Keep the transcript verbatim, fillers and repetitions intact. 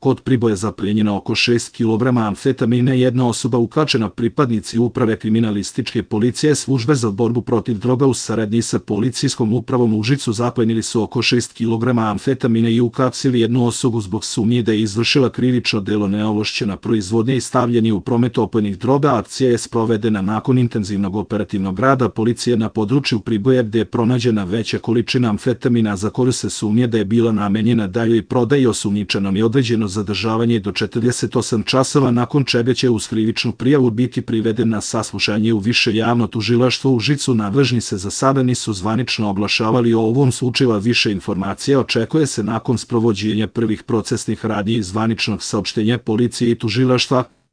Kod Priboja zaplijenjeno oko šest kilograma amfetamine, jedna osoba uhapšena. Pripadnici uprave kriminalističke policije službe za borbu protiv droga u saradnji sa policijskom upravom u Užicu zaplijenili su oko šest kilograma amfetamine i uhapsili jednu osobu zbog sumnje da je izvršila krivično delo neovlašćena proizvodnja i stavljanje u promet opojnih droga. Akcija je sprovedena nakon intenzivnog operativnog rada policije na području Priboja, gde je pronađena veća količina amfetamina za koju se sumnje da je bila namenjena daljoj prodaji. Osumnjičenom je određeno zadržavanje do četrdeset osam časova, nakon čega će uz krivičnu prijavu biti priveden na saslušanje u Više javno tužilaštvo u Užicu. Nadležni se za sada nisu zvanično oglašavali o ovom slučaju, a više informacija očekuje se nakon sprovođenja prvih procesnih radnji i zvaničnog saopštenja policije i tužilaštva.